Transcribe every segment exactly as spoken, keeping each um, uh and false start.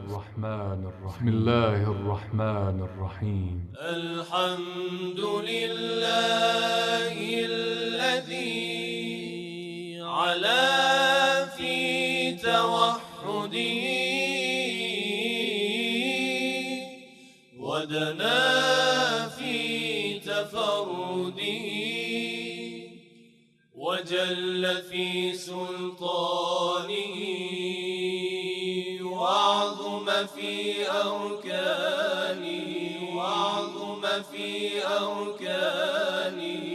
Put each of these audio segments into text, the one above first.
الرحمن الرحيم. بسم الله الرحمن الرحيم. الحمد لله الذي علا في توحده ودنا في تفرده وجل في سلطانه وعظم في أركانه وعظم في أركانه.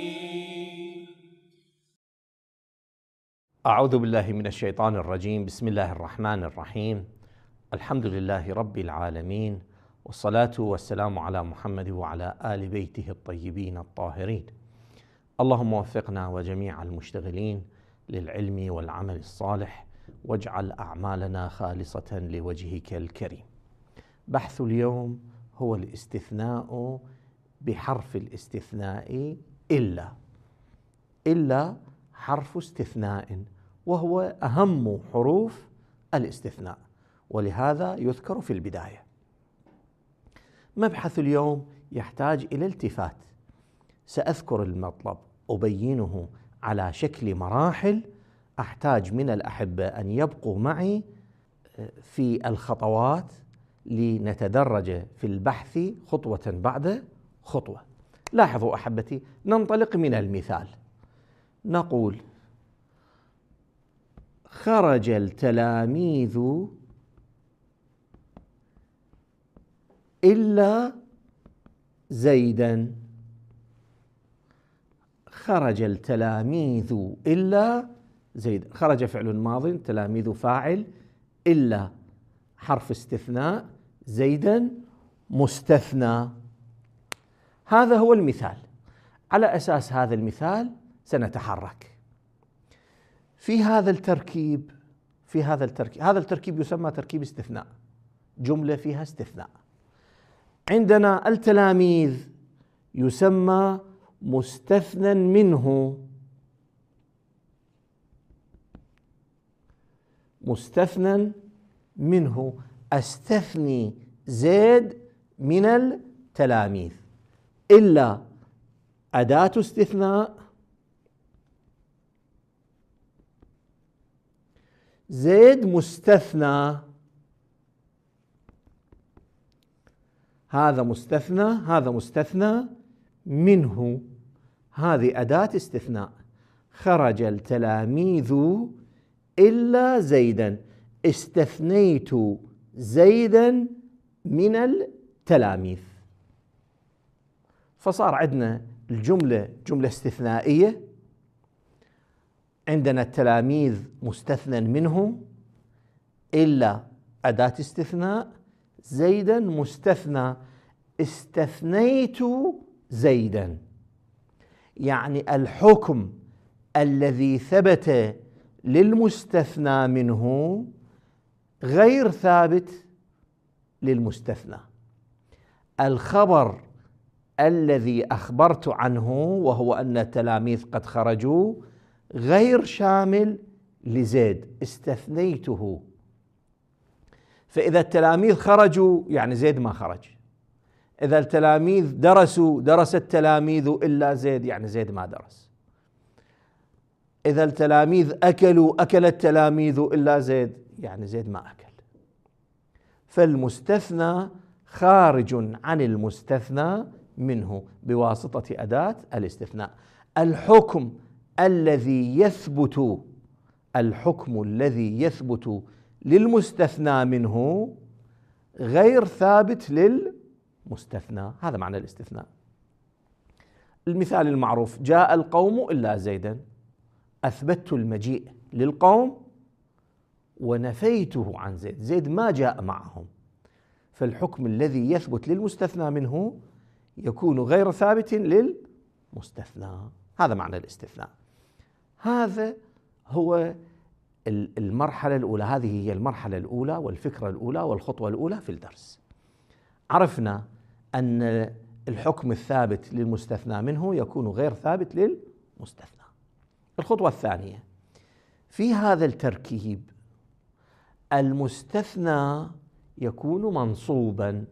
أعوذ بالله من الشيطان الرجيم. بسم الله الرحمن الرحيم. الحمد لله رب العالمين، والصلاة والسلام على محمد وعلى آل بيته الطيبين الطاهرين. اللهم وفقنا وجميع المشتغلين للعلم والعمل الصالح، واجعل أعمالنا خالصة لوجهك الكريم. بحث اليوم هو الاستثناء بحرف الاستثناء إلا. إلا حرف استثناء، وهو أهم حروف الاستثناء، ولهذا يذكر في البداية. مبحث اليوم يحتاج إلى التفات. سأذكر المطلب، أبينه على شكل مراحل. أحتاج من الأحبة أن يبقوا معي في الخطوات لنتدرج في البحث خطوة بعد خطوة. لاحظوا أحبتي، ننطلق من المثال. نقول: خرج التلاميذ إلا زيدا. خرج التلاميذ إلا زيد. خرج فعل ماض، تلاميذ فاعل، إلا حرف استثناء، زيدا مستثنى. هذا هو المثال. على أساس هذا المثال سنتحرك في هذا التركيب. في هذا التركيب هذا التركيب يسمى تركيب استثناء، جملة فيها استثناء. عندنا التلاميذ يسمى مستثنى منه، مستثنى منه، أستثني زيد من التلاميذ. إلا أداة استثناء، زيد مستثنى، هذا مستثنى، هذا مستثنى منه، هذه أداة استثناء. خرج التلاميذ إلا زيدا، استثنيت زيدا من التلاميذ. فصار عندنا الجملة جملة استثنائية، عندنا التلاميذ مستثنى منه، إلا أداة استثناء، زيدا مستثنى، استثنيت زيدا. يعني الحكم الذي ثبت للمستثنى منه غير ثابت للمستثنى. الخبر الذي أخبرت عنه وهو أن التلاميذ قد خرجوا غير شامل لزيد، استثنيته. فإذا التلاميذ خرجوا يعني زيد ما خرج. إذا التلاميذ درسوا، درس التلاميذ إلا زيد، يعني زيد ما درس. إذا التلاميذ أكلوا، أكل التلاميذ إلا زيد، يعني زيد ما أكل. فالمستثنى خارج عن المستثنى منه بواسطة أداة الاستثناء. الحكم الذي يثبت، الحكم الذي يثبت للمستثنى منه غير ثابت للمستثنى. هذا معنى الاستثناء. المثال المعروف: جاء القوم إلا زيدا. أثبتت المجيء للقوم ونفيته عن زيد، زيد ما جاء معهم. فالحكم الذي يثبت للمستثنى منه يكون غير ثابت للمستثنى. هذا معنى الاستثناء. هذا هو المرحلة الأولى، هذه هي المرحلة الأولى والفكرة الأولى والخطوة الأولى في الدرس. عرفنا أن الحكم الثابت للمستثنى منه يكون غير ثابت للمستثنى. الخطوة الثانية في هذا التركيب المستثنى يكون منصوبا،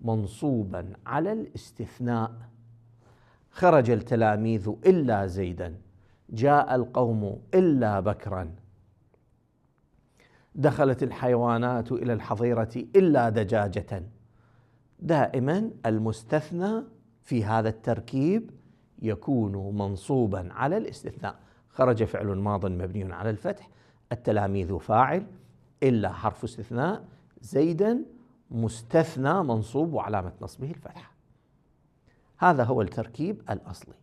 منصوبا على الاستثناء. خرج التلاميذ إلا زيدا، جاء القوم إلا بكرا، دخلت الحيوانات إلى الحظيرة إلا دجاجة. دائما المستثنى في هذا التركيب يكون منصوبا على الاستثناء. خرج فعل ماض مبني على الفتح، التلاميذ فاعل، إلا حرف استثناء، زيدا مستثنى منصوب وعلامة نصبه الفتحة. هذا هو التركيب الأصلي.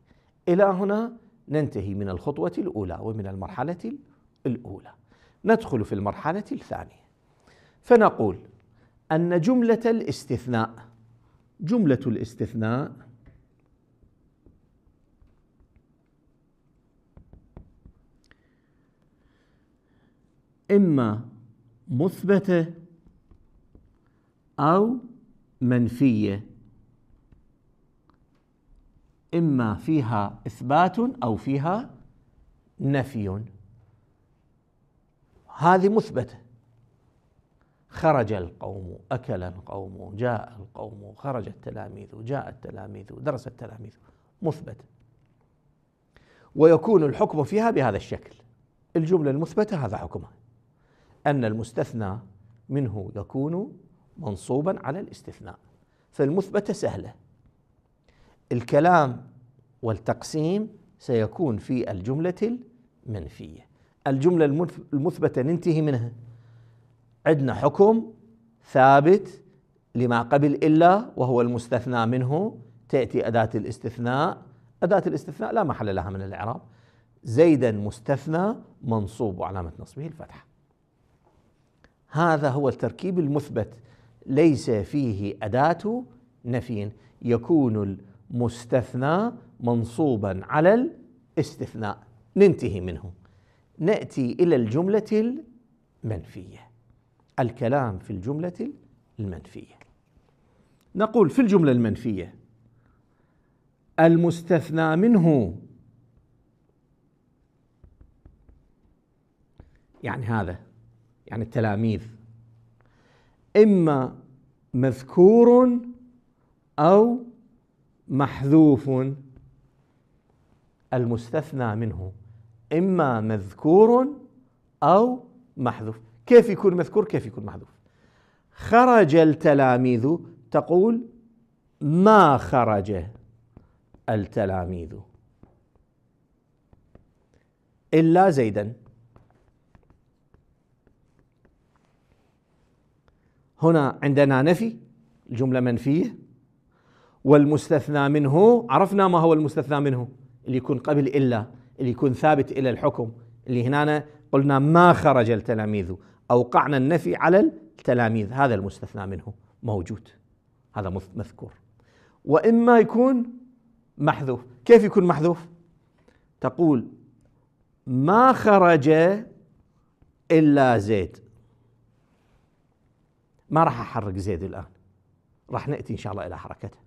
إلى هنا ننتهي من الخطوة الأولى ومن المرحلة الأولى. ندخل في المرحلة الثانية، فنقول أن جملة الاستثناء، جملة الاستثناء إما مثبتة أو منفية، إما فيها إثبات أو فيها نفي. هذه مثبتة، خرج القوم، أكل القوم، جاء القوم، خرج التلاميذ، جاء التلاميذ، درس التلاميذ، مثبتة، ويكون الحكم فيها بهذا الشكل. الجملة المثبتة هذا حكمها، أن المستثنى منه يكون منصوبا على الاستثناء. فالمثبتة سهلة، الكلام والتقسيم سيكون في الجملة المنفية. الجملة المثبتة ننتهي منها، عندنا حكم ثابت لما قبل إلا وهو المستثنى منه، تأتي أداة الاستثناء، أداة الاستثناء لا محل لها من الإعراب، زيدا مستثنى منصوب وعلامة نصبه الفتحة. هذا هو التركيب المثبت، ليس فيه أداة نفي، يكون المستثنى منصوبا على الاستثناء. ننتهي منه، نأتي إلى الجملة المنفية. الكلام في الجملة المنفية، نقول في الجملة المنفية المستثنى منه، يعني هذا يعني التلاميذ، إما مذكور أو محذوف. المستثنى منه إما مذكور أو محذوف. كيف يكون مذكور؟ كيف يكون محذوف؟ خرج التلاميذ، تقول ما خرج التلاميذ إلا زيدا. هنا عندنا نفي، الجملة منفية، والمستثنى منه عرفنا ما هو المستثنى منه، اللي يكون قبل إلا، اللي يكون ثابت إلى الحكم، اللي هنا قلنا ما خرج التلاميذ، أوقعنا النفي على التلاميذ، هذا المستثنى منه موجود، هذا مذكور. وإما يكون محذوف. كيف يكون محذوف؟ تقول ما خرج إلا زيد. ما راح أحرك زيد الآن، راح نأتي إن شاء الله إلى حركته.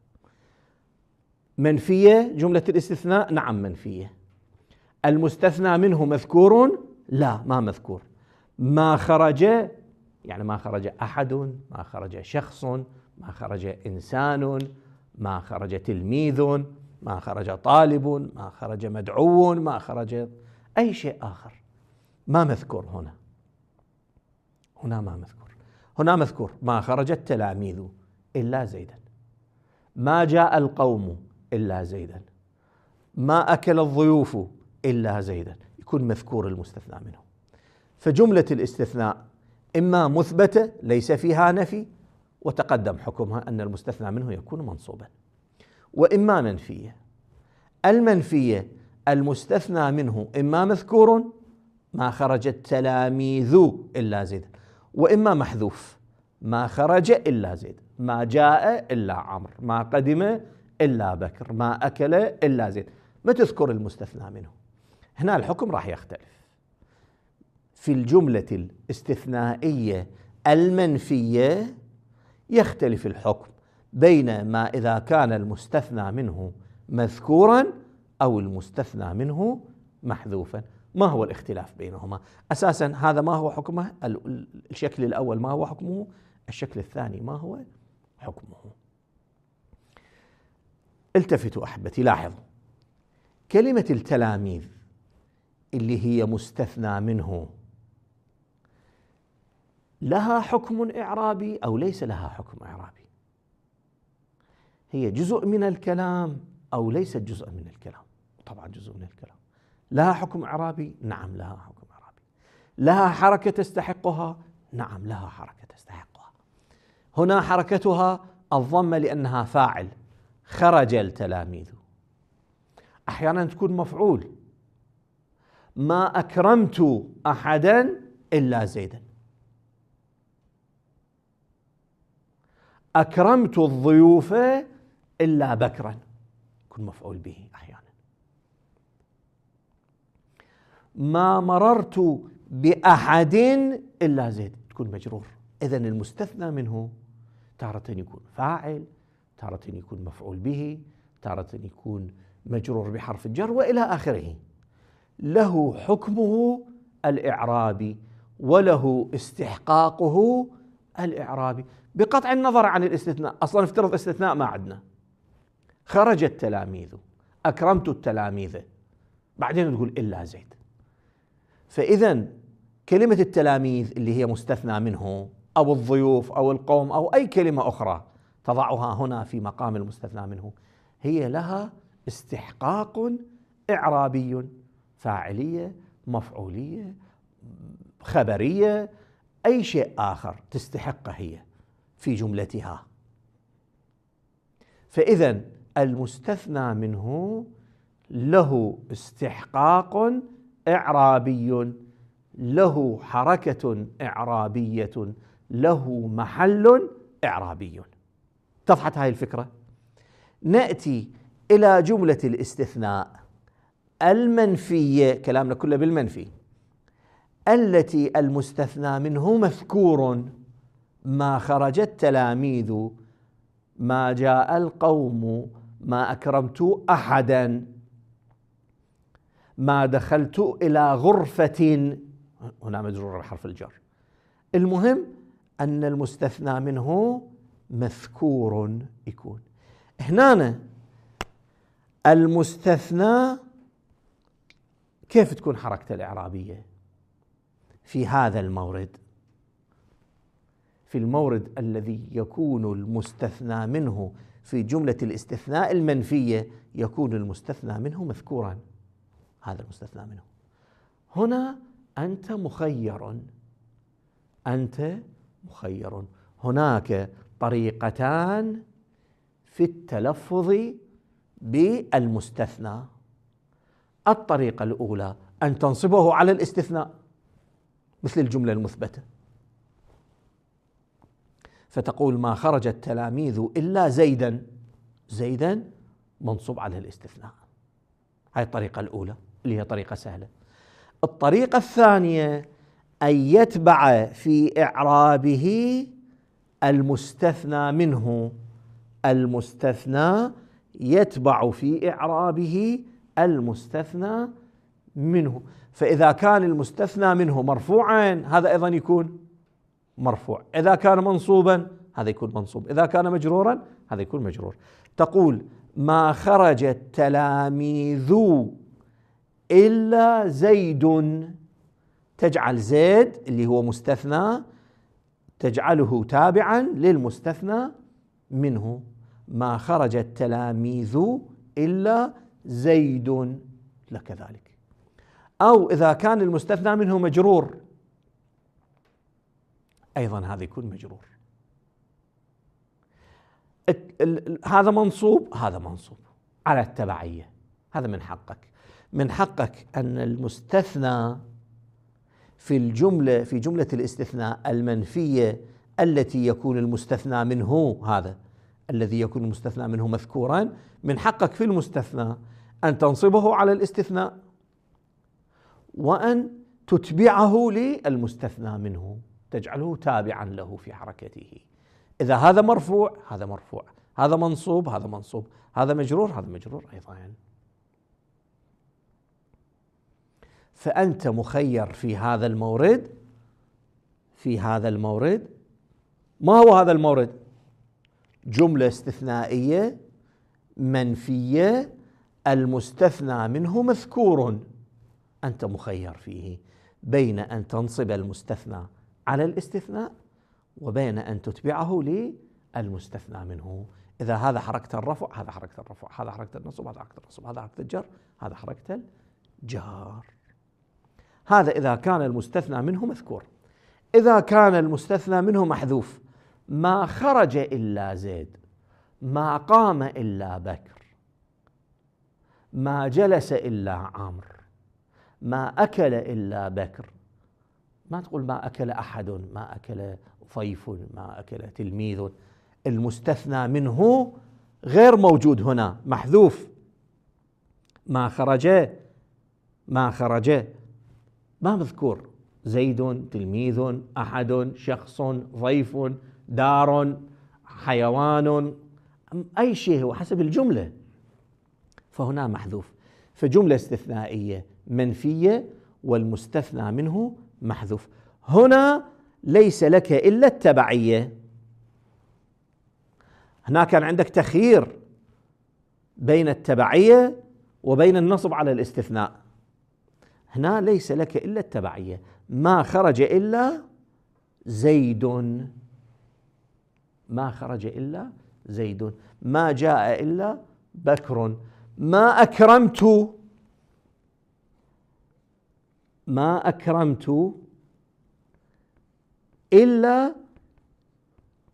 منفية جملة الاستثناء؟ نعم منفية. المستثنى منه مذكور؟ لا ما مذكور. ما خرج يعني ما خرج أحد، ما خرج شخص، ما خرج إنسان، ما خرج تلميذ، ما خرج طالب، ما خرج مدعو، ما خرج أي شيء آخر، ما مذكور هنا. هنا ما مذكور. هنا مذكور ما خرج التلاميذ إلا زيدا، ما جاء القوم إلا زيدا، ما أكل الضيوف إلا زيدا، يكون مذكور المستثنى منه. فجملة الاستثناء إما مثبتة ليس فيها نفي وتقدم حكمها أن المستثنى منه يكون منصوبا، وإما منفية. المنفية المستثنى منه إما مذكور ما خرج التلاميذ إلا زيدا، وإما محذوف ما خرج إلا زيد، ما جاء إلا عمرو، ما قدم إلا بكر، ما أكل إلا زيد، ما تذكر المستثنى منه. هنا الحكم راح يختلف. في الجملة الاستثنائية المنفية يختلف الحكم بين ما إذا كان المستثنى منه مذكورا أو المستثنى منه محذوفا. ما هو الاختلاف بينهما؟ أساسا هذا ما هو حكمه؟ الشكل الأول ما هو حكمه؟ الشكل الثاني ما هو حكمه؟ التفتوا أحبتي، لاحظوا كلمة التلاميذ اللي هي مستثنى منه لها حكم إعرابي أو ليس لها حكم إعرابي؟ هي جزء من الكلام أو ليست جزء من الكلام؟ طبعا جزء من الكلام. لها حكم إعرابي؟ نعم لها حكم إعرابي. لها حركة تستحقها؟ نعم لها حركة تستحقها. هنا حركتها الضمة لأنها فاعل، خرج التلاميذ. أحيانا تكون مفعول، ما أكرمت أحدا إلا زيدا، أكرمت الضيوف إلا بكرا، يكون مفعول به أحيانا. ما مررت بأحد إلا زيد، تكون مجرور. إذن المستثنى منه تارة يكون فاعل، تارة يكون مفعول به، تارة يكون مجرور بحرف الجر وإلى آخره. له حكمه الإعرابي وله استحقاقه الإعرابي بقطع النظر عن الاستثناء. أصلا افترض استثناء ما عندنا، خرج التلاميذ، أكرمت التلاميذ، بعدين تقول إلا زيد. فإذا كلمة التلاميذ اللي هي مستثنى منه أو الضيوف أو القوم أو أي كلمة أخرى تضعها هنا في مقام المستثنى منه، هي لها استحقاق إعرابي، فاعلية، مفعولية، خبرية، أي شيء آخر تستحقه هي في جملتها. فإذا المستثنى منه له استحقاق إعرابي، له حركة إعرابية، له محل إعرابي. اتضحت هذه الفكرة؟ نأتي إلى جملة الاستثناء المنفية، كلامنا كله بالمنفي، التي المستثنى منه مذكور، ما خرج التلاميذ، ما جاء القوم، ما أكرمت أحدا، ما دخلت إلى غرفة، هنا مجرور بحرف الجر. المهم أن المستثنى منه مذكور يكون. هنا المستثنى كيف تكون حركته الإعرابية في هذا المورد؟ في المورد الذي يكون المستثنى منه في جملة الاستثناء المنفية يكون المستثنى منه مذكورا، هذا المستثنى منه. هنا أنت مخير، أنت مخير. هناك طريقتان في التلفظ بالمستثنى. الطريقة الأولى أن تنصبه على الاستثناء مثل الجملة المثبتة، فتقول ما خرج التلاميذ إلا زيدا، زيدا منصوب على الاستثناء. هاي الطريقة الأولى اللي هي طريقة سهلة. الطريقة الثانية أن يتبع في إعرابه المستثنى منه، المستثنى يتبع في إعرابه المستثنى منه. فإذا كان المستثنى منه مرفوعا هذا أيضا يكون مرفوع، إذا كان منصوبا هذا يكون منصوب، إذا كان مجرورا هذا يكون مجرور. تقول ما خرج التلاميذ إلا زيد، تجعل زيد اللي هو مستثنى تجعله تابعا للمستثنى منه. ما خرج التلاميذ إلا زيد لكذلك. أو إذا كان المستثنى منه مجرور أيضا هذا يكون مجرور. هذا منصوب، هذا منصوب على التبعية. هذا من حقك، من حقك أن المستثنى في الجملة، في جملة الاستثناء المنفية التي يكون المستثنى منه، هذا الذي يكون المستثنى منه مذكورا، من حقك في المستثنى أن تنصبه على الاستثناء وأن تتبعه للمستثنى منه، تجعله تابعا له في حركته. إذا هذا مرفوع هذا مرفوع، هذا منصوب هذا منصوب، هذا مجرور هذا مجرور أيضا. فأنت مخير في هذا المورد، في هذا المورد ما هو هذا المورد؟ جملة استثنائية منفية المستثنى منه مذكور، أنت مخير فيه بين أن تنصب المستثنى على الاستثناء وبين أن تتبعه للمستثنى منه. إذا هذا حركة الرفع، هذا حركة الرفع، هذا حركة النصب، هذا حركة النصب، هذا حركة الجر، هذا حركة الجار. هذا إذا كان المستثنى منه مذكور. إذا كان المستثنى منه محذوف، ما خرج إلا زيد، ما قام إلا بكر، ما جلس إلا عمرو، ما أكل إلا بكر. ما تقول ما أكل أحد، ما أكل ضيف، ما أكل تلميذ. المستثنى منه غير موجود هنا، محذوف. ما خرج، ما خرج ما مذكور، زيد، تلميذ، أحد، شخص، ضيف، دار، حيوان، أي شيء هو حسب الجملة، فهنا محذوف. فجملة استثنائية منفية والمستثنى منه محذوف. هنا ليس لك إلا التبعية. هنا كان عندك تخيير بين التبعية وبين النصب على الاستثناء. هنا ليس لك إلا التبعية. ما خرج إلا زيد، ما خرج إلا زيد، ما جاء إلا بكر، ما أكرمت، ما أكرمت إلا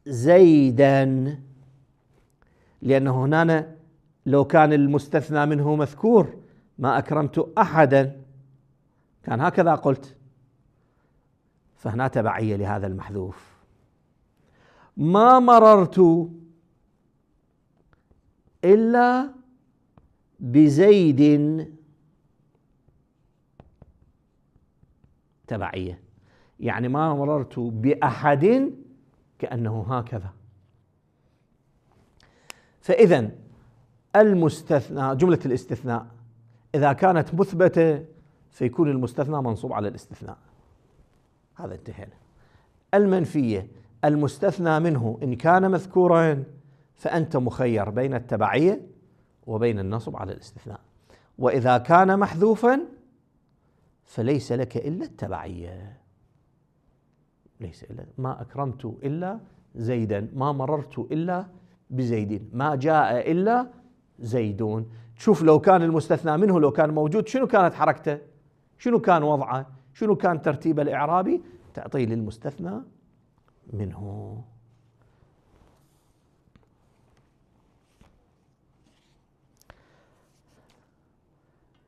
زيدا، لأنه هنا لو كان المستثنى منه مذكور ما أكرمت أحدا كان هكذا قلت، فهنا تبعية لهذا المحذوف. ما مررت إلا بزيد، تبعية، يعني ما مررت بأحد كأنه هكذا. فإذا المستثنى، جملة الاستثناء إذا كانت مثبتة فيكون المستثنى منصوب على الاستثناء، هذا انتهينا. المنفية المستثنى منه إن كان مذكورا فأنت مخير بين التبعية وبين النصب على الاستثناء، وإذا كان محذوفا فليس لك إلا التبعية، ليس إلا ما أكرمت إلا زيدا، ما مررت إلا بزيد، ما جاء إلا زيدون. شوف لو كان المستثنى منه لو كان موجود شنو كانت حركته، شنو كان وضعه، شنو كان ترتيبه الإعرابي، تعطيه للمستثنى منه.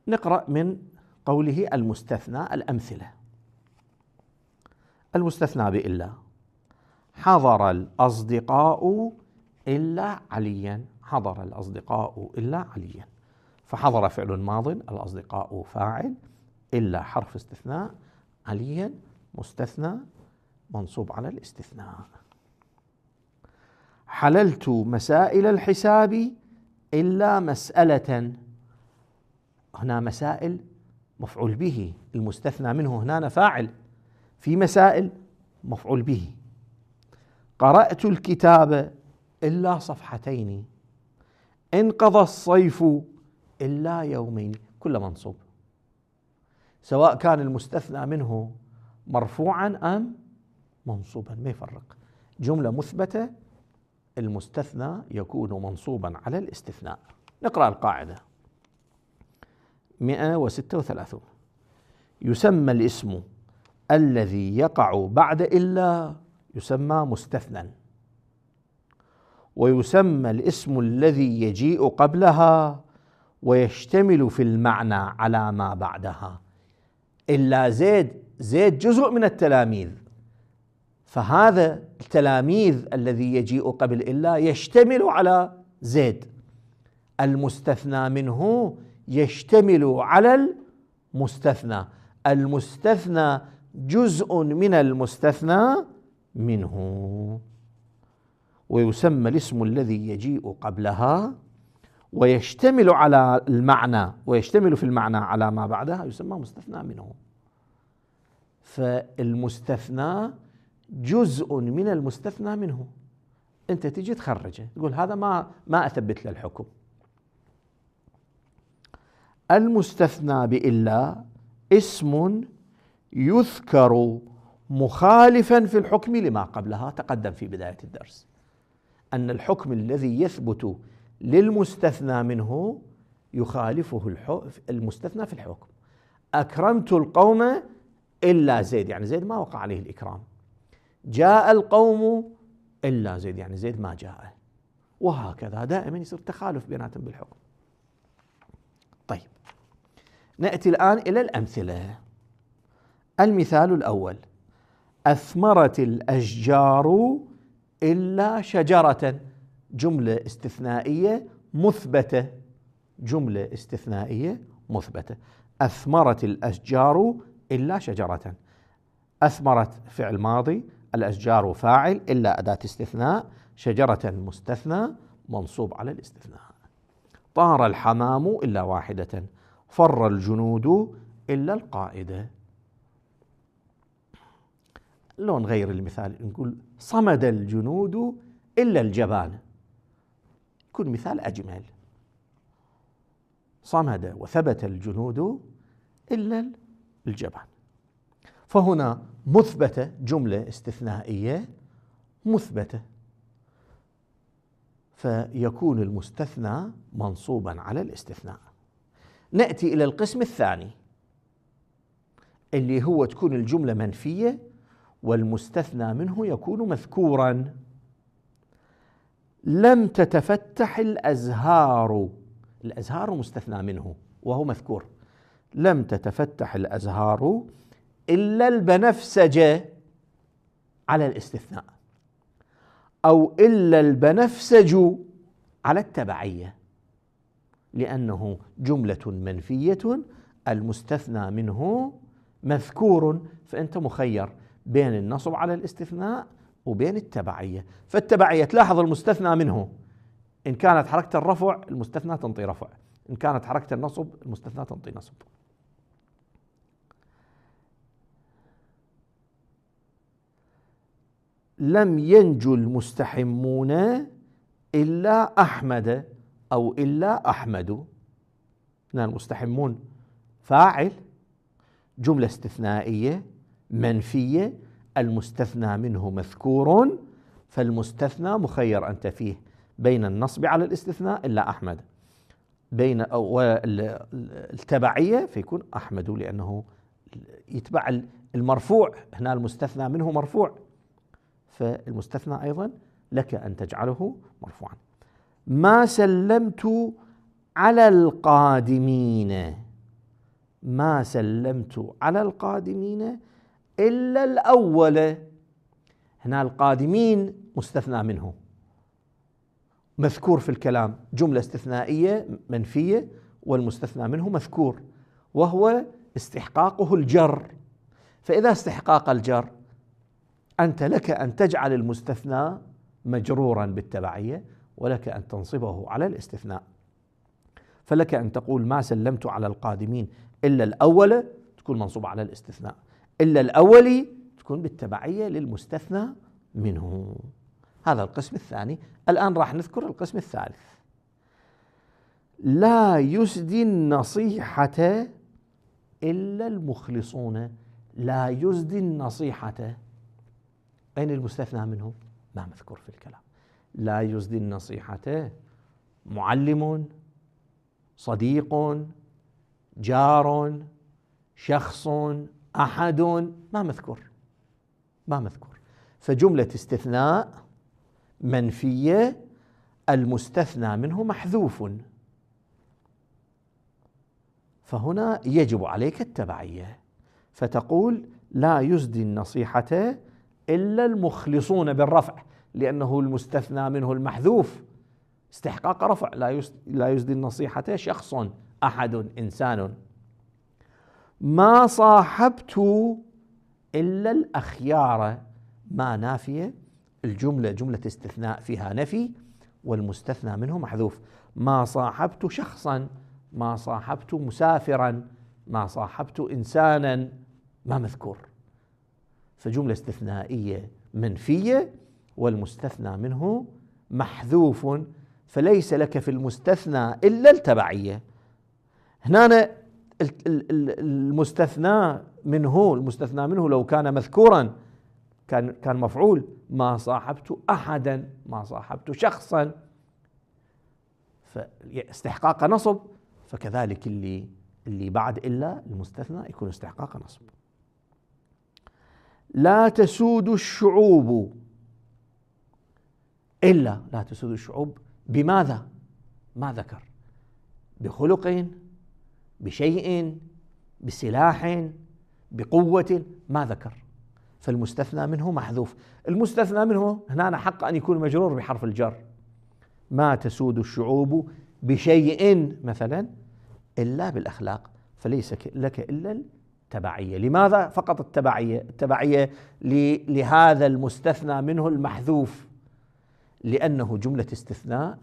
نقرأ من قوله المستثنى الأمثلة. المستثنى بإلا: حضر الأصدقاء إلا عليا، حضر الأصدقاء إلا عليا. فحضر فعل ماض، الأصدقاء فاعل، إلا حرف استثناء، عليا مستثنى منصوب على الاستثناء. حللت مسائل الحساب إلا مسألة، هنا مسائل مفعول به، المستثنى منه هنا فاعل، في مسائل مفعول به. قرأت الكتاب إلا صفحتين، انقضى الصيف إلا يومين، كل منصوب سواء كان المستثنى منه مرفوعا أم منصوبا، ما يفرق. جملة مثبتة المستثنى يكون منصوبا على الاستثناء. نقرأ القاعدة مئة وستة وثلاثون: يسمى الاسم الذي يقع بعد إلا يسمى مستثنى، ويسمى الاسم الذي يجيء قبلها ويشتمل في المعنى على ما بعدها. إلا زيد، زيد جزء من التلاميذ، فهذا التلاميذ الذي يجيء قبل إلا يشتمل على زيد، المستثنى منه يشتمل على المستثنى، المستثنى جزء من المستثنى منه. ويسمى الاسم الذي يجيء قبلها ويشتمل على المعنى ويشتمل في المعنى على ما بعدها يسمى مستثنى منه. فالمستثنى جزء من المستثنى منه، أنت تجي تخرجه تقول هذا ما ما أثبت له الحكم. المستثنى بإلا اسم يذكر مخالفا في الحكم لما قبلها. تقدم في بداية الدرس أن الحكم الذي يثبت للمستثنى منه يخالفه المستثنى في الحكم. أكرمت القوم إلا زيد، يعني زيد ما وقع عليه الإكرام. جاء القوم إلا زيد، يعني زيد ما جاء. وهكذا دائما يصير تخالف بيناتهم بالحكم. طيب، نأتي الآن إلى الأمثلة. المثال الأول: أثمرت الأشجار إلا شجرة، جملة استثنائية مثبتة، جملة استثنائية مثبتة. أثمرت الأشجار إلا شجرة، أثمرت فعل ماضي، الأشجار فاعل، إلا أداة استثناء، شجرة مستثنى منصوب على الاستثناء. طار الحمام إلا واحدة، فر الجنود إلا القائدة. لو نغير المثال نقول صمد الجنود إلا الجبان، يكون مثال أجمل. صمد وثبت الجنود إلا الجبان. فهنا مثبتة، جملة استثنائية مثبتة، فيكون المستثنى منصوبا على الاستثناء. نأتي إلى القسم الثاني اللي هو تكون الجملة منفية والمستثنى منه يكون مذكورا. لم تتفتح الأزهار، الأزهار مستثنى منه وهو مذكور. لم تتفتح الأزهار إلا البنفسجة على الاستثناء، أو إلا البنفسج على التبعية، لأنه جملة منفية المستثنى منه مذكور، فأنت مخير بين النصب على الاستثناء وبين التبعية. فالتبعية تلاحظ المستثنى منه إن كانت حركة الرفع المستثنى تنطي رفع، إن كانت حركة النصب المستثنى تنطي نصب. لم ينجو المستحمون إلا أحمد أو إلا أحمد. هنا المستحمون فاعل، جملة استثنائية منفية، المستثنى منه مذكور، فالمستثنى مخير أنت فيه بين النصب على الاستثناء إلا أحمد، بين أو التبعية فيكون أحمد لأنه يتبع المرفوع، هنا المستثنى منه مرفوع، فالمستثنى أيضا لك أن تجعله مرفوعا. ما سلمت على القادمين، ما سلمت على القادمين إلا الأول. هنا القادمين مستثنى منه مذكور في الكلام، جملة استثنائية منفية والمستثنى منه مذكور، وهو استحقاقه الجر. فإذا استحقاق الجر أنت لك أن تجعل المستثنى مجرورا بالتبعية، ولك أن تنصبه على الاستثناء. فلك أن تقول ما سلمت على القادمين إلا الأول، تكون منصوبة على الاستثناء، إلا الأول تكون بالتبعية للمستثنى منه. هذا القسم الثاني. الآن راح نذكر القسم الثالث. لا يسدي النصيحة إلا المخلصون. لا يسدي النصيحة، أين المستثنى منه؟ ما مذكور في الكلام. لا يسدي النصيحة معلم، صديق، جار، شخص، أحد، ما مذكور، ما مذكور. فجملة استثناء منفية المستثنى منه محذوف، فهنا يجب عليك التبعية، فتقول لا يسدي النصيحة إلا المخلصون بالرفع، لأنه المستثنى منه المحذوف استحقاق رفع. لا يسدي النصيحة شخص، أحد، إنسان. ما صاحبت إلا الأخيار، ما نافية، الجملة جملة استثناء فيها نفي والمستثنى منه محذوف. ما صاحبت شخصا، ما صاحبت مسافرا، ما صاحبت إنسانا، ما مذكور. فجملة استثنائية منفية والمستثنى منه محذوف، فليس لك في المستثنى إلا التبعية. هنا المستثنى منه المستثنى منه لو كان مذكورا كان كان مفعول، ما صاحبت أحدا، ما صاحبت شخصا، فاستحقاق نصب، فكذلك اللي اللي بعد إلا المستثنى يكون استحقاق نصب. لا تسود الشعوب إلا، لا تسود الشعوب بماذا؟ ما ذكر، بخلق، بشيء، بسلاح، بقوة، ما ذكر، فالمستثنى منه محذوف. المستثنى منه هنا حق أن يكون مجرور بحرف الجر، ما تسود الشعوب بشيء مثلا إلا بالأخلاق، فليس لك إلا التبعية. لماذا فقط التبعية؟ التبعية لهذا المستثنى منه المحذوف، لأنه جملة استثناء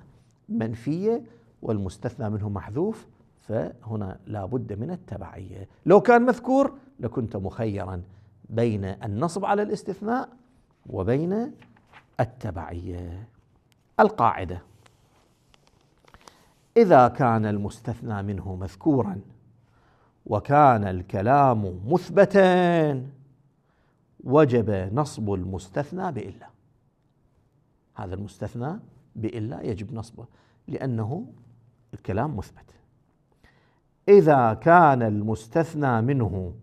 منفية والمستثنى منه محذوف، فهنا لا بد من التبعية. لو كان مذكور لكنت مخيرا بين النصب على الاستثناء وبين التبعية. القاعدة: إذا كان المستثنى منه مذكورا وكان الكلام مثبتا وجب نصب المستثنى بإلا. هذا المستثنى بإلا يجب نصبه لأنه الكلام مثبت. إذا كان المستثنى منه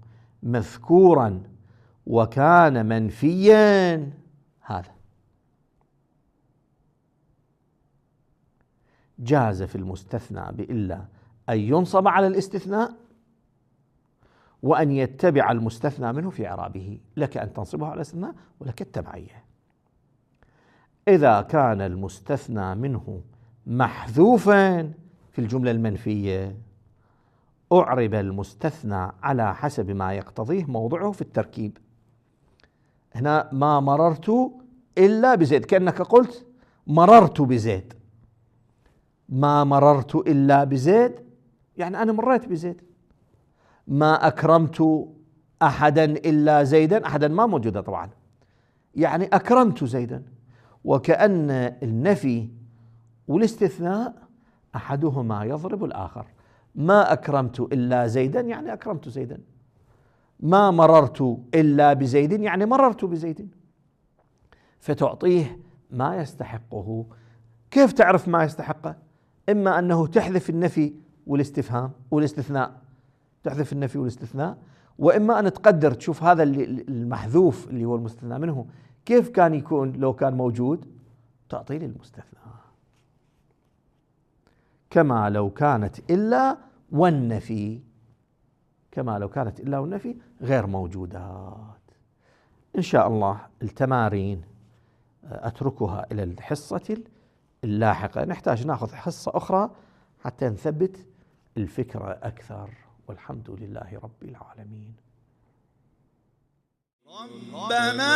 مذكورا وكان منفيا، هذا جاز في المستثنى بإلا أن ينصب على الاستثناء وأن يتبع المستثنى منه في إعرابه، لك أن تنصبه على الاستثناء ولك التبعية. إذا كان المستثنى منه محذوفا في الجملة المنفية أعرب المستثنى على حسب ما يقتضيه موضعه في التركيب. هنا ما مررت إلا بزيد، كأنك قلت مررت بزيد. ما مررت إلا بزيد يعني أنا مريت بزيد. ما أكرمت أحدا إلا زيدا، أحدا ما موجودة طبعا، يعني أكرمت زيدا. وكأن النفي والاستثناء أحدهما يضرب الآخر. ما أكرمت إلا زيدا يعني أكرمت زيدا، ما مررت إلا بزيد يعني مررت بزيد، فتعطيه ما يستحقه. كيف تعرف ما يستحقه؟ إما أنه تحذف النفي والاستفهام والاستثناء، تحذف النفي والاستثناء، وإما أن تقدر تشوف هذا المحذوف اللي هو المستثنى منه كيف كان يكون لو كان موجود، تعطيه للمستثنى. كما لو كانت إلا والنفي، كما لو كانت إلا والنفي غير موجودات. إن شاء الله التمارين أتركها إلى الحصة اللاحقة، نحتاج نأخذ حصة أخرى حتى نثبت الفكرة أكثر، والحمد لله رب العالمين. ربنا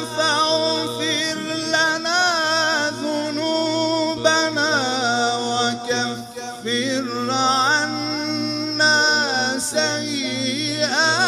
فاغفر لنا ذنوبنا وكفر عنا سيئاتنا.